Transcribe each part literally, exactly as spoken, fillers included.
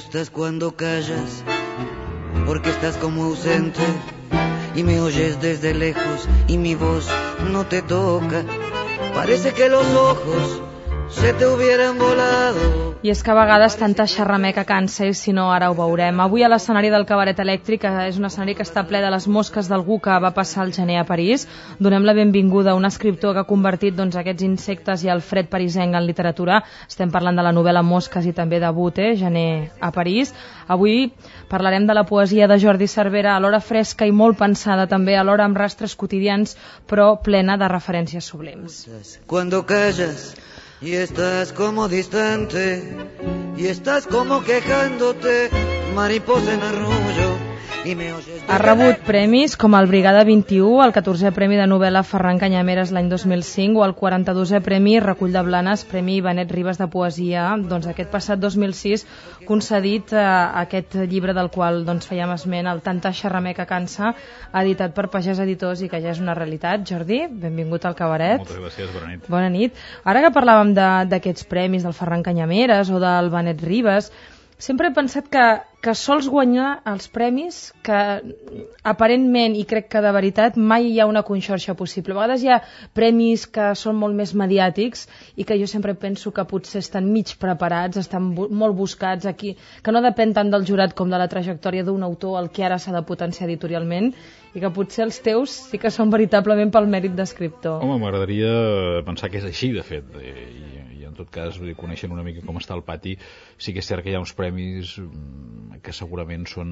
gustas cuando callas, porque estás como ausente y me oyes desde lejos y mi voz no te toca. Parece que los ojos se te hubieran volado. I és que a vegades tanta xerrameca cansa, i si no ara ho veurem. Avui a l'escenari del Cabaret Elèctric, és un escenari que està ple de les mosques d'algú que va passar el gener a París. Donem la benvinguda a un escriptor que ha convertit doncs, aquests insectes i el fred parisenc en literatura. Estem parlant de la novel·la Mosques i també de Bute, Gener a París. Avui parlarem de la poesia de Jordi Cervera, alhora fresca i molt pensada, també alhora amb rastres quotidians, però plena de referències sublims. Cuando callas y estás como distante y estás como quejándote, mariposa en arrullo. Ha rebut premis com el Brigada vint-i-u, el catorzè Premi de Novel·la Ferran Canyameres l'any dos mil cinc o el quaranta-dosè Premi Recull de Blanes, Premi Benet Ribes de Poesia, doncs aquest passat dos mil sis, concedit a aquest llibre del qual doncs, fèiem esment, el Tanta xerrameca cansa, editat per Pagès Editors i que ja és una realitat. Jordi, benvingut al Cabaret. Moltes gràcies, bona nit. Bona nit. Ara que parlàvem d'aquests premis del Ferran Canyameres o del Benet Ribes, sempre he pensat que, que sols guanyar els premis que aparentment, i crec que de veritat, mai hi ha una conxorxa possible. A vegades hi ha premis que són molt més mediàtics i que jo sempre penso que potser estan mig preparats, estan bu molt buscats aquí, que no depèn tant del jurat com de la trajectòria d'un autor al que ara s'ha de potenciar editorialment, i que potser els teus sí que són veritablement pel mèrit d'escriptor. Home, m'agradaria pensar que és així, de fet, i en tot cas, vull dir, coneixent una mica com està el pati, sí que és cert que hi ha uns premis que segurament són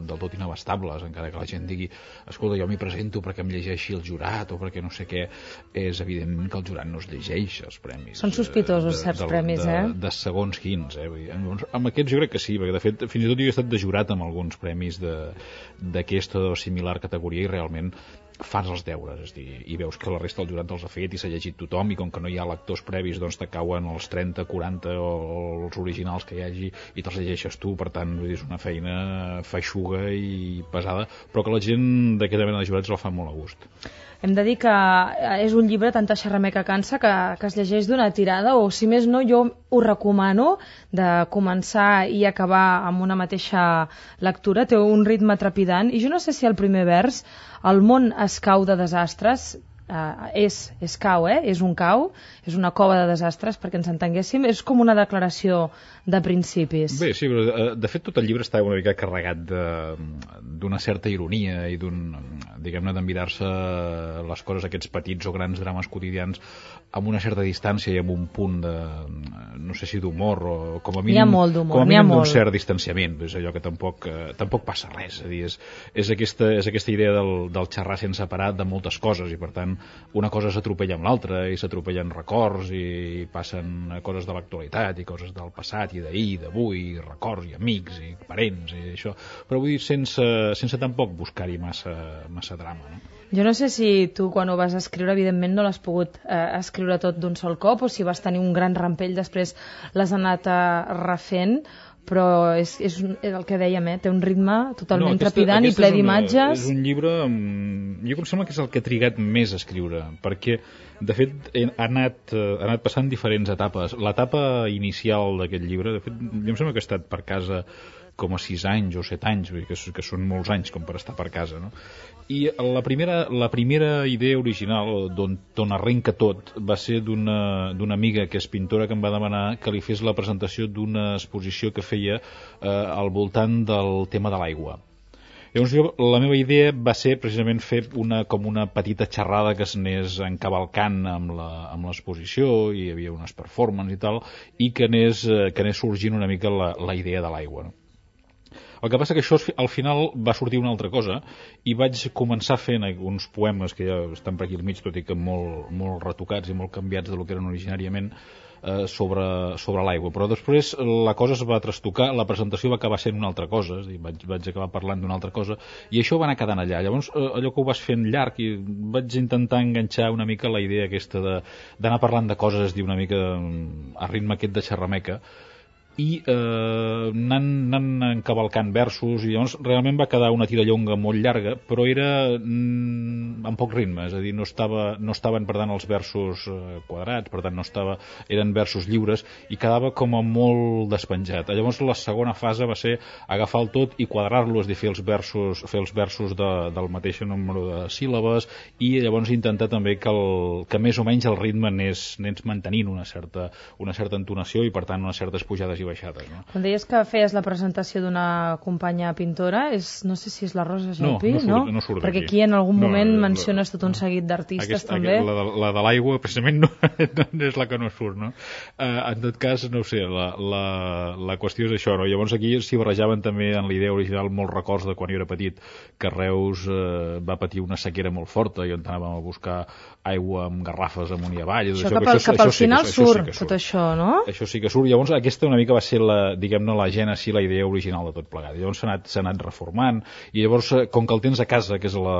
del tot inabastables, encara que la gent digui escolta, jo m'hi presento perquè em llegeixi el jurat o perquè no sé què. És evident que el jurat no es llegeix els premis. Són sospitosos de, certs de, premis, de, eh? De, de segons quins, eh? Vull dir, amb aquests jo crec que sí, perquè de fet fins i tot jo he estat de jurat amb alguns premis d'aquesta o similar categoria i realment fas els deures, és dir, i veus que la resta del jurat els ha fet i s'ha llegit tothom, i com que no hi ha lectors previs, doncs te cauen els trenta, quaranta o els originals que hi hagi i te'ls llegeixes tu, per tant, vull dir, és una feina feixuga i pesada, però que la gent d'aquesta mena de jurats la fa molt a gust. Hem de dir que és un llibre, Tanta xerrameca cansa, que, que es llegeix d'una tirada, o si més no, jo ho recomano de començar i acabar amb una mateixa lectura. Té un ritme trepidant, i jo no sé si el primer vers, el món es cau de desastres, Uh, és, és cau, eh? És un cau, és una cova de desastres, perquè ens entenguéssim, és com una declaració de principis. Bé, sí, però de fet tot el llibre està una mica carregat d'una certa ironia i d'un, diguem-ne, d'envirar-se les coses, aquests petits o grans drames quotidians amb una certa distància i amb un punt de, no sé si d'humor o com a mínim, n'hi ha molt d'humor, com a mínim d'un molt. cert distanciament, és allò que tampoc, eh, tampoc passa res, és a dir, és, és, aquesta, és aquesta idea del, del xerrar sense parar de moltes coses, i per tant una cosa s'atropella amb l'altra i s'atropellen records i passen coses de l'actualitat i coses del passat i d'ahir, d'avui, records i amics i parents i això, però vull dir sense, sense tampoc buscar-hi massa, massa drama, no? Jo no sé si tu quan ho vas escriure evidentment no l'has pogut eh, escriure tot d'un sol cop o si vas tenir un gran rampell després l'has anat eh, refent, però és, és, és el que dèiem, eh? Té un ritme totalment no, aquesta, trepidant i ple d'imatges. És un llibre, jo em sembla que és el que he trigat més a escriure, perquè de fet ha anat, ha anat passant diferents etapes. L'etapa inicial d'aquest llibre, de fet, jo em sembla que he estat per casa com a sis anys o set anys, que, que són molts anys com per estar per casa, no? I la primera, la primera idea original d'on arrenca tot va ser d'una amiga que és pintora que em va demanar que li fes la presentació d'una exposició que feia eh, al voltant del tema de l'aigua. Llavors jo, la meva idea va ser precisament fer una, com una petita xerrada que s'anés encavalcant amb l'exposició, i hi havia unes performances i tal, i que anés, que anés sorgint una mica la, la idea de l'aigua, no? El que passa que això al final va sortir una altra cosa i vaig començar fent uns poemes que ja estan per aquí al mig, tot i que molt, molt retocats i molt canviats del que eren originàriament, eh, sobre, sobre l'aigua. Però després la cosa es va trastocar, la presentació va acabar sent una altra cosa, és a dir, vaig, vaig acabar parlant d'una altra cosa, i això va anar quedant allà. Llavors eh, allò que ho vas fent llarg, i vaig intentar enganxar una mica la idea aquesta d'anar parlant de coses, és dir, una mica a ritme aquest de xerrameca, i eh, anant, anant encavalcant versos, i llavors realment va quedar una tirallonga molt llarga, però era mm, amb poc ritme, és a dir, no, estava, no estaven per tant els versos eh, quadrats, per tant no estava, eren versos lliures, i quedava com a molt despenjat. Llavors la segona fase va ser agafar el tot i quadrar-lo, és a dir, fer els versos, fer els versos de, del mateix número de síl·labes, i llavors intentar també que, el, que més o menys el ritme anés, anés mantenint una certa, una certa entonació i per tant unes certes pujades i baixades, no? Quan deies que feies la presentació d'una companya pintora, és, no sé si és la Rosa Gelpi, no? No, no? surt, no surt Perquè aquí. aquí en algun no, moment la, menciones tot un seguit d'artistes aquesta, també. La de, la de l'aigua, precisament, no, no és la que no surt, no? Uh, en tot cas, no ho sé, la, la, la qüestió és això, no? Llavors aquí s'hi barrejaven també en la idea original molts records de quan jo era petit, que Reus uh, va patir una sequera molt forta i on anàvem a buscar aigua amb garrafes amunt i avall. Això, això cap, al, cap al final sí, surt, sí surt tot això, no? Això sí que surt. Llavors aquesta una mica va ser la, diguem-ne, la gènesi, la idea original de tot plegat. Llavors s'ha anat, s'ha anat reformant, i llavors, com que el tens a casa, que és la,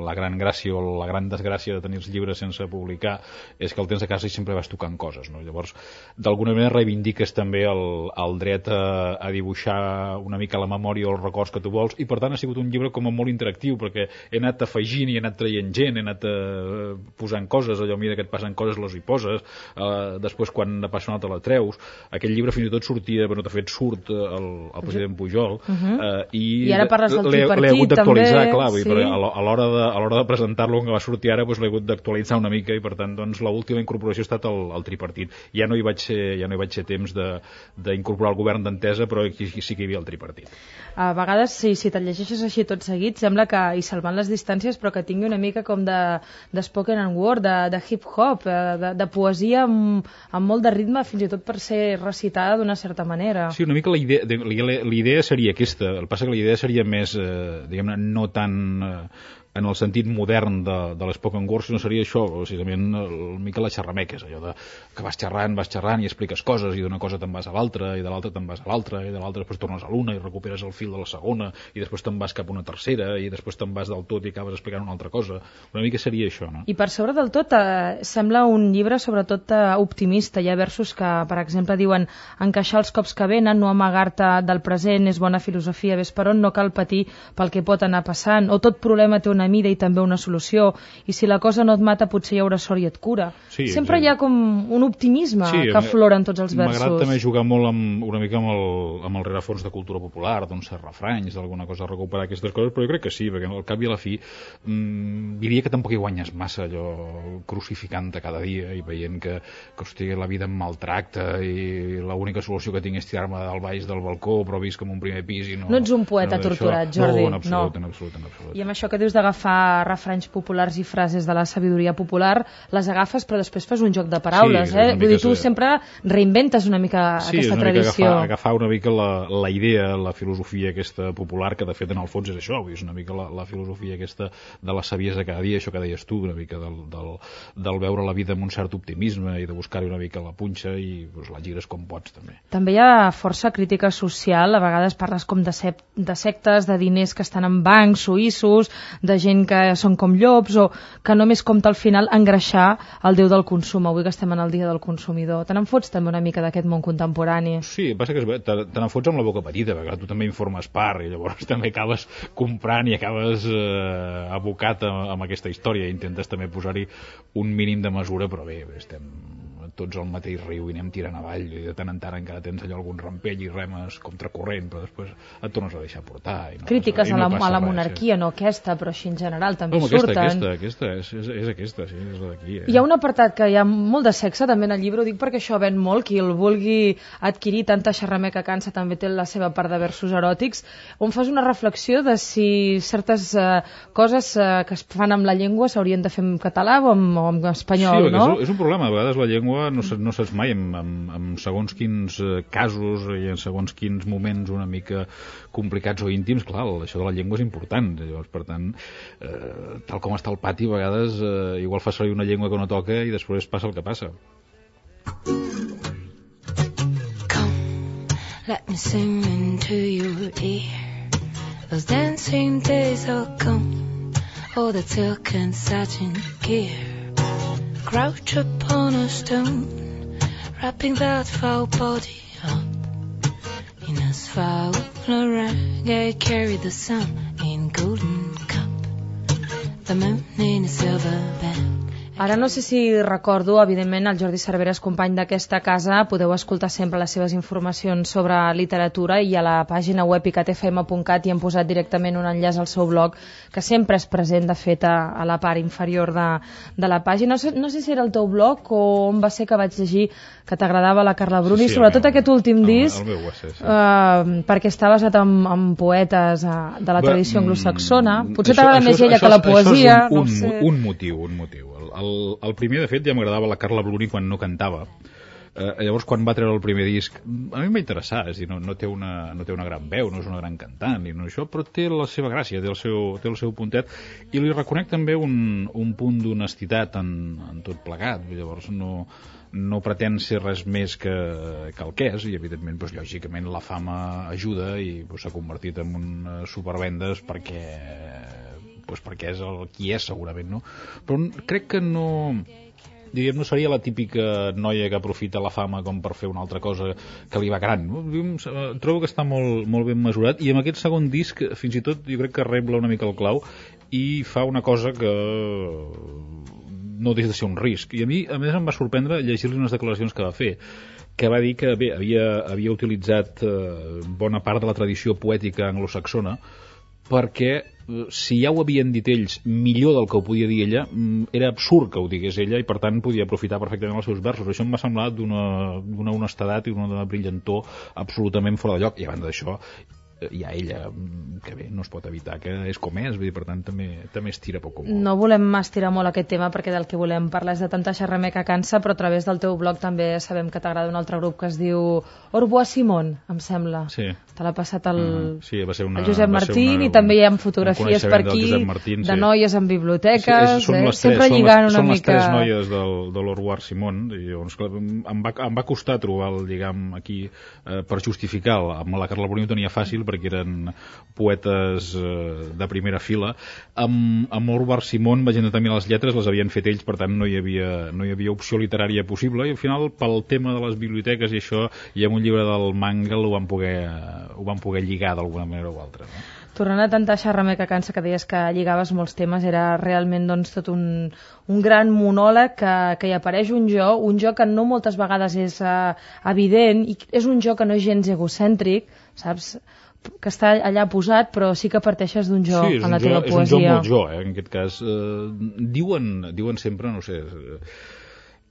la gran gràcia o la gran desgràcia de tenir els llibres sense publicar, és que el tens a casa i sempre vas tocant coses, no? Llavors, d'alguna manera reivindiques també el, el dret a, a dibuixar una mica la memòria o els records que tu vols, i per tant ha sigut un llibre com a molt interactiu, perquè he anat afegint i he anat traient gent, he anat eh, posant coses, allò, mira que et passen coses, les hi poses, eh, després quan ne passa una altra la treus. Aquest llibre fins i tot sortia, però de fet surt el, el president Pujol, uh -huh. eh, i, I ara parles del tripartit, l'he hagut d'actualitzar, també, clar, sí. Dir, a l'hora de, a l'hora de presentar-lo, que va sortir ara, doncs l'he hagut d'actualitzar una mica, i per tant doncs, l'última incorporació ha estat el, el tripartit. Ja no hi vaig ser, ja no hi vaig ser temps d'incorporar el govern d'entesa, però aquí sí que hi havia el tripartit. A vegades, sí, si te'l llegeixes així tot seguit, sembla que hi salvant les distàncies, però que tingui una mica com de, de spoken word, de, de hip-hop, de, de poesia amb, amb molt de ritme, fins i tot per ser recitada d'una certa manera. Sí, una mica la idea, la idea seria aquesta. El que passa que la idea seria més, eh, diguem-ne, no tan... Eh, en el sentit modern de, de l'Spoken Word, sinó seria això, precisament una mica la xerrameques, allò de que vas xerrant, vas xerrant i expliques coses, i d'una cosa te'n vas a l'altra, i de l'altra te'n vas a l'altra, i de l'altra després tornes a l'una i recuperes el fil de la segona, i després te'n vas cap a una tercera, i després te'n vas del tot i acabes explicant una altra cosa. Una mica seria això, no? I per sobre del tot, eh, sembla un llibre sobretot eh, optimista. Hi ha versos que, per exemple, diuen encaixar els cops que venen, no amagar-te del present, és bona filosofia, ves per on, no cal patir pel que pot anar passant, o tot problema té una mida i també una solució, i si la cosa no et mata potser hi haurà sort i et cura. Sí, sempre sí. Hi ha com un optimisme sí, que aflora en tots els versos. M'agrada també jugar molt amb, una mica amb el, amb el rerefons de cultura popular, doncs refranys, d'alguna cosa, recuperar aquestes coses, però jo crec que sí, perquè al cap i a la fi mmm, diria que tampoc hi guanyes massa, allò crucificant-te cada dia i veient que, que hosti, la vida em maltracta i l'única solució que tinc és tirar-me del baix del balcó, però visc com un primer pis i no... No ets un poeta no, torturat, Jordi. No, en absolut, no. en absolut, en absolut. I amb això que dius d'agafar refranys populars i frases de la sabidoria popular, les agafes però després fas un joc de paraules, sí, eh? Vull dir, tu sí. sempre reinventes una mica sí, aquesta una tradició. Mica agafar, agafar una mica la, la idea, la filosofia aquesta popular, que de fet en el fons és això, és una mica la, la filosofia aquesta de la saviesa cada dia, això que deies tu, una mica del, del, del veure la vida amb un cert optimisme i de buscar-hi una mica la punxa i doncs, la gires com pots també. També hi ha força crítica social, a vegades parles com de, sec, de sectes, de diners que estan en bancs suïssos, de gent que són com llops o que només compta al final engreixar el déu del consum. Avui que estem en el dia del consumidor. Te n'enfots també una mica d'aquest món contemporani? Sí, passa que te, te n'enfots amb la boca petita, perquè tu també informes part i llavors també acabes comprant i acabes eh, abocat amb, amb aquesta història i intentes també posar-hi un mínim de mesura, però bé, estem tots al mateix riu i anem tirant avall i de tant en tant encara tens allò algun rampell i remes contracorrent, però després et tornes a deixar portar. I no Crítiques passa, a, la, no a la res, monarquia, sí. No aquesta, però així en general també no, surten. Aquesta, aquesta, aquesta, és, és, és aquesta, sí, és la d'aquí. Eh? Hi ha un apartat que hi ha molt de sexe també en el llibre, ho dic perquè això ven molt, qui el vulgui adquirir, tanta xerrameca cansa, també té la seva part de versos eròtics, on fas una reflexió de si certes uh, coses uh, que es fan amb la llengua s'haurien de fer en català o en, o en espanyol, sí, no? És, és un problema, a vegades la llengua no, no saps mai en, en, en segons quins casos i en segons quins moments una mica complicats o íntims, clar, això de la llengua és important, llavors, per tant, eh, tal com està el pati, a vegades eh, igual fa servir una llengua que no toca i després passa el que passa. Come, let me sing into your ear. Those dancing days are gone, all the silk and satin gear. Crouch upon a stone, wrapping that foul body up. in a foul reggae, carry the sun in golden cup, the moon in a silver band. Ara no sé si recordo, evidentment, el Jordi Cervera és company d'aquesta casa, podeu escoltar sempre les seves informacions sobre literatura i a la pàgina web i cat f m punt cat hi hem posat directament un enllaç al seu blog, que sempre és present, de fet, a, a la part inferior de, de la pàgina. No sé, no sé si era el teu blog o on va ser que vaig llegir que t'agradava la Carla Bruni, sí, sí, sobretot meu, aquest últim el, disc, el meu ser, sí. uh, perquè està basat en, en poetes uh, de la tradició anglosaxona. Potser t'agrada més ella que la poesia. Això és un, no un, sé. un motiu, un motiu. El, el primer, de fet, ja m'agradava la Carla Bruni quan no cantava. Eh, llavors, quan va treure el primer disc, a mi em va interessar, és a dir, no, no, té una, no té una gran veu, no és una gran cantant, i no això, però té la seva gràcia, té el seu, té el seu puntet, i li reconec també un, un punt d'honestitat en, en tot plegat. Llavors, no, no pretén ser res més que, que el que és, i evidentment, doncs, lògicament, la fama ajuda i doncs, s'ha convertit en un supervendes perquè... Pues perquè és el qui és, segurament, no? Però crec que no... Diguem, no seria la típica noia que aprofita la fama com per fer una altra cosa que li va gran. Trobo que està molt, molt ben mesurat, i amb aquest segon disc, fins i tot, jo crec que rebla una mica el clau i fa una cosa que no deixa de ser un risc. I a mi, a més, em va sorprendre llegir-li unes declaracions que va fer, que va dir que, bé, havia, havia utilitzat eh, bona part de la tradició poètica anglosaxona, perquè si ja ho havien dit ells millor del que ho podia dir ella, era absurd que ho digués ella, i per tant podia aprofitar perfectament els seus versos. Això em va semblar d'una, d'una honestedat i d'una brillantor absolutament fora de lloc, i a banda d'això hi ha ella, que bé, no es pot evitar, que és com és, vull dir, per tant també, també estira poc o molt. No volem estirar molt aquest tema perquè del que volem parlar és de tanta xerramer que cansa, però a través del teu blog també sabem que t'agrada un altre grup que es diu Orbois Simon, em sembla. Sí. Te l'ha passat el, uh, sí, va ser una, el Josep Martín, una, i també hi ha fotografies per aquí Martín, de sí. noies en biblioteques, sí, són eh? les tres, sempre són lligant les, una són mica... les tres noies del, de l'Orbois Simon, i llavors, clar, em, va, em va costar trobar el lligam aquí eh, per justificar. Amb la Carla Bruni ho tenia fàcil perquè eren poetes eh, de primera fila. Amb, amb Orbois Simon vaig intentar mirar les lletres, les havien fet ells, per tant no hi havia, no hi havia opció literària possible, i al final pel tema de les biblioteques i això, i amb un llibre del Mangel ho van poder, ho van poder lligar d'alguna manera o altra, no? Tornant a tanta xerramer que cansa, que deies que lligaves molts temes, era realment doncs, tot un, un gran monòleg que, que hi apareix un jo, un jo que no moltes vegades és uh, evident, i és un jo que no és gens egocèntric, saps? Que està allà posat, però sí que parteixes d'un jo sí, en la jo, teva poesia. Sí, és un jo molt jo, eh, en aquest cas. Eh, diuen, diuen sempre, no sé... Eh,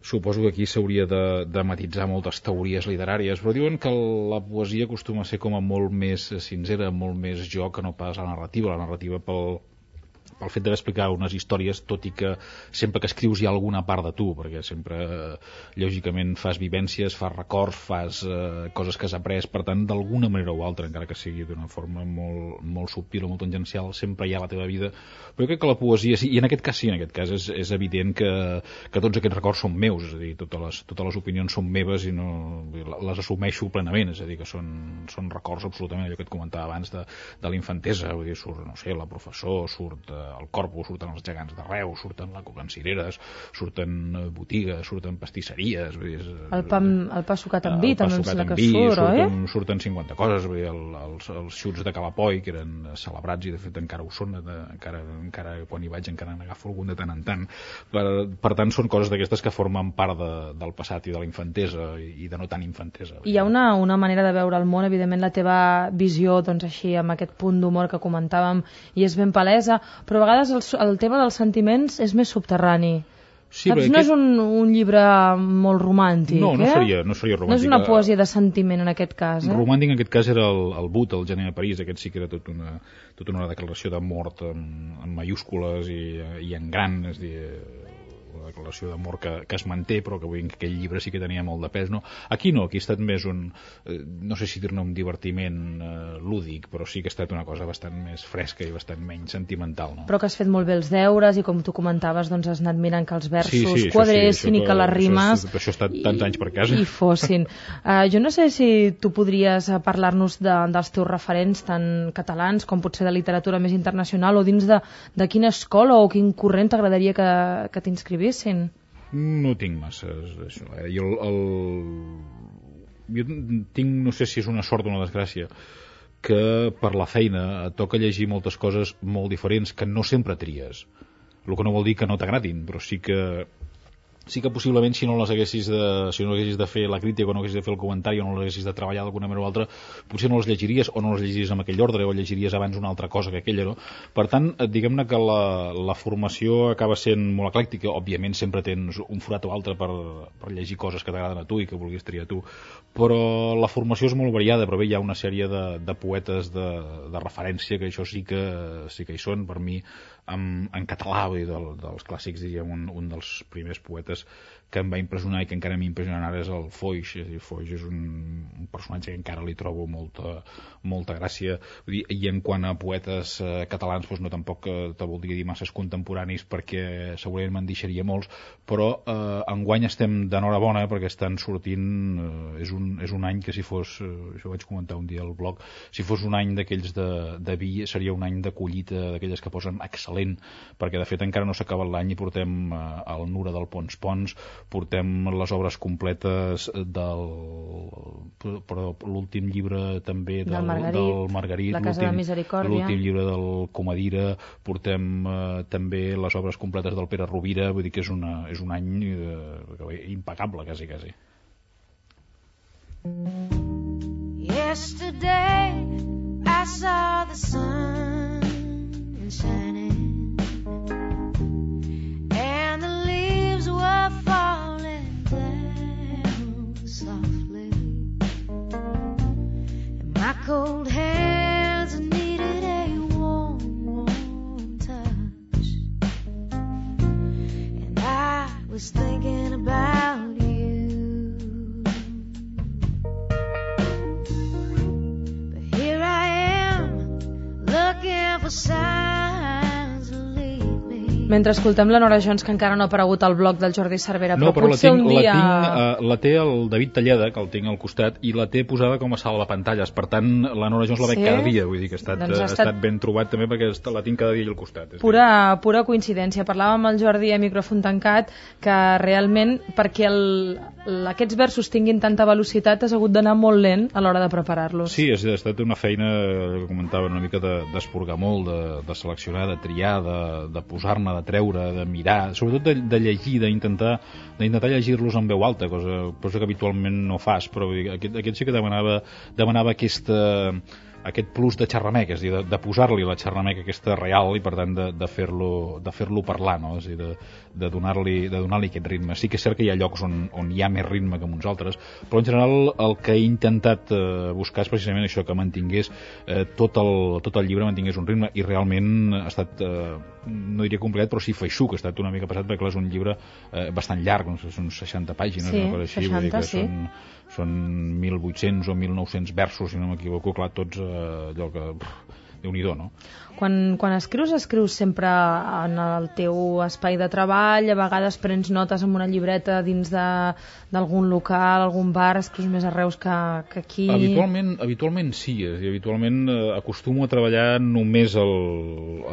suposo que aquí s'hauria de, de matitzar moltes teories literàries, però diuen que la poesia acostuma a ser com a molt més sincera, molt més jo que no pas la narrativa. La narrativa pel, pel fet d'explicar unes històries, tot i que sempre que escrius hi ha alguna part de tu, perquè sempre, eh, lògicament, fas vivències, fas records, fas eh, coses que has après, per tant, d'alguna manera o altra, encara que sigui d'una forma molt, molt subtil o molt tangencial, sempre hi ha la teva vida. Però jo crec que la poesia, sí, i en aquest cas sí, en aquest cas és, és evident que, que tots aquests records són meus, és a dir, totes les, totes les opinions són meves i no les assumeixo plenament, és a dir, que són, són records absolutament, allò que et comentava abans de, de la infantesa, vull dir, surt, no sé, la professor, surt eh, el Corpus, surten els gegants de Reus, surten la Coca en cireres, surten eh, botigues, surten pastisseries, vull dir, és, el pa, el pa sucat amb vi, també em sembla que vi, surt, surten, eh? Surten cinquanta coses, vull dir, el, els, els xuts de Calapoi, que eren celebrats i de fet encara ho són, de, encara, encara quan hi vaig encara n'agafo algun de tant en tant. Per, per tant, són coses d'aquestes que formen part de, del passat i de la infantesa i, i de no tan infantesa. Hi ha una, una manera de veure el món, evidentment la teva visió, doncs així, amb aquest punt d'humor que comentàvem, i és ben palesa, però a vegades el, el tema dels sentiments és més subterrani. Sí, Saps? No aquest... és un, un llibre molt romàntic, no, no eh? seria, no seria romàntic. No és una poesia de sentiment en aquest cas, eh? Romàntic en aquest cas era el, el But, el gener a París, aquest sí que era tot una, tota una declaració de mort en, en mayúscules i, i en gran, és a dir, una declaració d'amor que, que es manté, però que vull dir que aquell llibre sí que tenia molt de pes, no? Aquí no, aquí ha estat més un, eh, no sé si dir-ne un divertiment eh, lúdic, però sí que ha estat una cosa bastant més fresca i bastant menys sentimental, no? Però que has fet molt bé els deures i com tu comentaves, doncs has anat mirant que els versos sí, sí, quadressin sí, i que les rimes això, això ha estat tants anys per casa i fossin. Uh, jo no sé si tu podries parlar-nos de, dels teus referents tant catalans com potser de literatura més internacional, o dins de, de quina escola o quin corrent t'agradaria que, que t'inscrivissin? No tinc massa això, eh? I el, el... jo tinc, no sé si és una sort o una desgràcia, que per la feina et toca llegir moltes coses molt diferents que no sempre tries, el que no vol dir que no t'agradin, però sí que sí que possiblement si no les haguessis de, si no haguessis de fer la crítica o no haguessis de fer el comentari o no les haguessis de treballar d'alguna manera o altra, potser no les llegiries o no les llegiries en aquell ordre o llegiries abans una altra cosa que aquella, no? Per tant, diguem-ne que la, la formació acaba sent molt eclèctica. Òbviament sempre tens un forat o altre per, per llegir coses que t'agraden a tu i que vulguis triar tu, però la formació és molt variada. Però bé, hi ha una sèrie de, de poetes de, de referència que això sí que, sí que hi són per mi en, en català, vull dir, del, dels clàssics, diríem, un, un dels primers poetes que em va impressionar i que encara m'impressiona ara és el Foix. És dir, Foix és un, un personatge que encara li trobo molta, molta gràcia. Vull dir, i en quant a poetes eh, catalans, doncs no tampoc eh, te voldria dir masses contemporanis perquè segurament me'n deixaria molts, però eh, enguany estem d'enhorabona perquè estan sortint, eh, és, un, és un any que si fos, eh, això ho vaig comentar un dia al blog, si fos un any d'aquells de, de vi, seria un any de collita d'aquelles que posen excel·lent, perquè de fet encara no s'ha acabat l'any i portem eh, el Nura del Pons Pons, portem les obres completes del, però l'últim llibre també del, del Margarit, del Margarit La Casa de Misericòrdia, l'últim llibre del Comadira, portem eh, també les obres completes del Pere Rovira. Vull dir que és, una, és un any eh, impecable, quasi, quasi. Yesterday I saw the sun shining and the leaves were falling down softly and my cold hands needed a warm, warm touch and I was thinking about you, but here I am looking for signs of leave me. Mentre escoltem la Nora Jones, que encara no ha aparegut al blog del Jordi Cervera, no, però, però potser la tinc, un dia... La, tinc, uh, la té el David Talleda, que el tinc al costat, i la té posada com a salvapantalles. Per tant, la Nora Jones la veig sí? cada dia. Vull dir que ha estat, doncs ha ha estat... estat ben trobat també perquè la tinc cada dia al costat. Pura, pura coincidència. Parlàvem amb el Jordi a micròfon tancat que realment perquè el, aquests versos tinguin tanta velocitat has hagut d'anar molt lent a l'hora de preparar-los. Sí, ha estat una feina que comentava una mica d'esporgar de, molt, de, de seleccionar, de triar, de, de posar-ne, de treure, de mirar, sobretot de, de llegir, d'intentar d'intentar llegir-los en veu alta, cosa, cosa que habitualment no fas, però aquest, aquest sí que demanava, demanava aquesta, aquest plus de xerrameca, és a dir, de, de posar-li la xerrameca aquesta real i per tant de, de fer-lo de fer-lo parlar, no? És a dir, de, de donar-li de donar-li aquest ritme. Sí que és cert que hi ha llocs on, on hi ha més ritme que en uns altres, però en general el que he intentat eh, buscar és precisament això, que mantingués eh, tot, el, tot el llibre mantingués un ritme, i realment ha estat, eh, no diria complicat, però sí feixuc, ha estat una mica passat perquè és un llibre eh, bastant llarg, no sé, són seixanta pàgines, sí, una cosa així, seixanta, vull dir que sí. són, són mil vuit-cents o mil nou-cents versos, si no m'equivoco, clar, tots eh, allò que... Pff, Déu-n'hi-do, no? Quan, quan escrius, escrius sempre en el teu espai de treball, a vegades prens notes amb una llibreta dins d'algun local, algun bar, escrius més a Reus que, que aquí... Habitualment, habitualment sí, és a dir, habitualment eh, acostumo a treballar només al,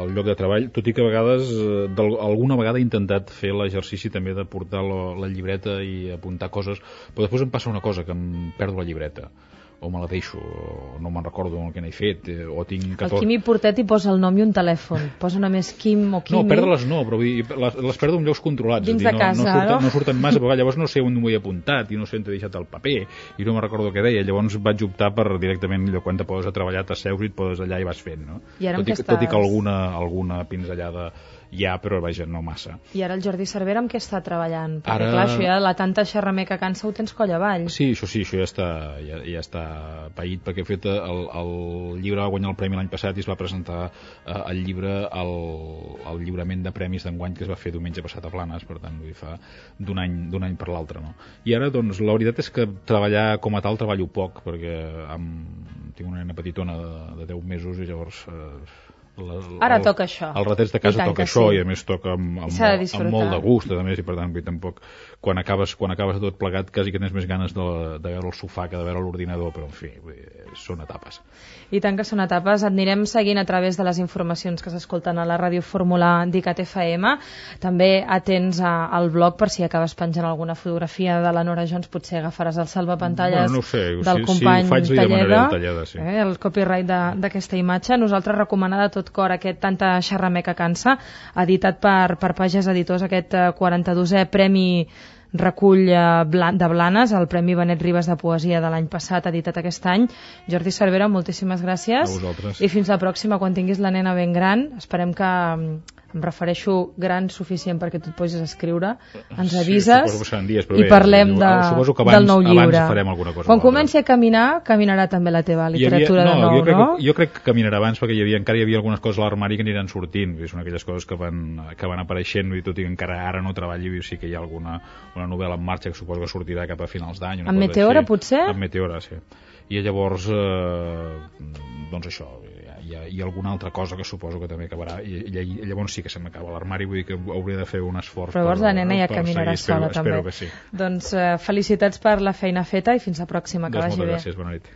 al lloc de treball, tot i que a vegades, eh, alguna vegada he intentat fer l'exercici també de portar la, la llibreta i apuntar coses, però després em passa una cosa, que em perdo la llibreta, o me la deixo, o no me'n recordo el que n'he fet, eh, o tinc... catorze... El Quimi Portet hi posa el nom i un telèfon, posa només Quim o Quimi... No, perdre-les no, però les, les perdo en llocs controlats. Dins dir, de casa, no, no, surten, no? no surten massa, però llavors no sé on m'ho he apuntat, i no sé on t'he deixat el paper, i no me'n recordo què deia, llavors vaig optar per directament, allò, quan te poses a treballar, t'asseus i et poses allà i vas fent, no? I ara tot, i, estàs... tot i que alguna, alguna pinzellada hi ha, però vaja, no massa. I ara el Jordi Cervera amb què està treballant? Perquè ara... clar, això ja, la tanta xerrameca cansa ho tens coll avall. Sí, això sí, això ja està, ja, ja està paït, perquè he fet el, el llibre va guanyar el premi l'any passat i es va presentar eh, el llibre al, al lliurament de premis d'enguany que es va fer diumenge passat a Planes, per tant, vull dir, fa d'un any, d'un any per l'altre, no? I ara, doncs, la veritat és que treballar com a tal treballo poc, perquè amb, tinc una nena petitona de, de deu mesos i llavors... Eh, La, Ara el, toca això. El Ratets de casa toca això, sí. I a més toca amb, amb, amb, amb molt de gust, a més, i per tant, vull, tampoc, quan acabes, quan acabes tot plegat, quasi que tens més ganes de, de veure el sofà que de veure l'ordinador, però en fi, vull dir, són etapes. I tant que són etapes. Et anirem seguint a través de les informacions que s'escolten a la Ràdio Fórmula d'ICAT F M. També atents a, al blog per si acabes penjant alguna fotografia de la Nora Jones, potser agafaràs el salvapantalles bueno, no sé, del si, company si ho faig, Talleda, el, talleda, sí. eh, el copyright d'aquesta imatge. Nosaltres recomanar de tot cor aquest Tanta xerrameca cansa, editat per, per Pages Editors, aquest quaranta-dosè Premi Recull de Blanes, el Premi Benet Ribes de Poesia de l'any passat, editat aquest any. Jordi Cervera, moltíssimes gràcies. A vosaltres. I fins la pròxima, quan tinguis la nena ben gran. Esperem que, em refereixo gran suficient perquè tu et posis a escriure, ens avises, sí, dies, i bé, parlem de, abans, del nou llibre. Abans farem alguna cosa. Quan comenci a caminar, caminarà també la teva literatura havia, no, de nou, jo crec, no? Jo crec que caminarà abans perquè hi havia, encara hi havia algunes coses a l'armari que aniran sortint, són aquelles coses que van, que van apareixent, i tot i que encara ara no treballi, sí que hi ha alguna una novel·la en marxa que suposo que sortirà cap a finals d'any. En Meteora, així. potser? En Meteora, sí. I llavors, eh, doncs això, hi ha, hi ha alguna altra cosa que suposo que també acabarà, i, i llavors sí que se m'acaba l'armari, vull dir que hauré de fer un esforç. Però llavors per, la nena ja caminarà seguir, sola, espero, també. espero que sí. Doncs eh, felicitats per la feina feta i fins la pròxima, que doncs vagi bé. Moltes gràcies, bona nit.